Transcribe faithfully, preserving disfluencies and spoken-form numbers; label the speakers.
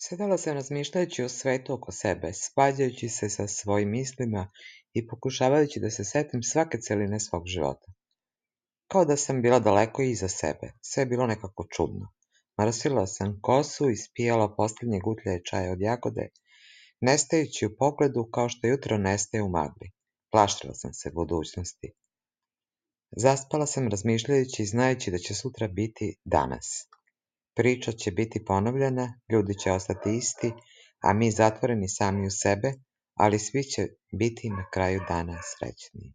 Speaker 1: Sedela sam razmišljajući o svetu oko sebe, svađajući se sa svojim mislima i pokušavajući da se setim svake celine svog života. Kao da sam bila daleko iza sebe, sve je bilo nekako čudno. Mrstila sam kosu i ispijala poslednje gutlje čaja od jagode, nestajući u pogledu kao što jutro nestaje u magli. Plašila sam se budućnosti. Zaspala sam razmišljajući i znajući da će sutra biti danas. Priča će biti ponovljena, ljudi će ostati isti, a mi zatvoreni sami u sebe, ali svi će biti na kraju dana srećniji.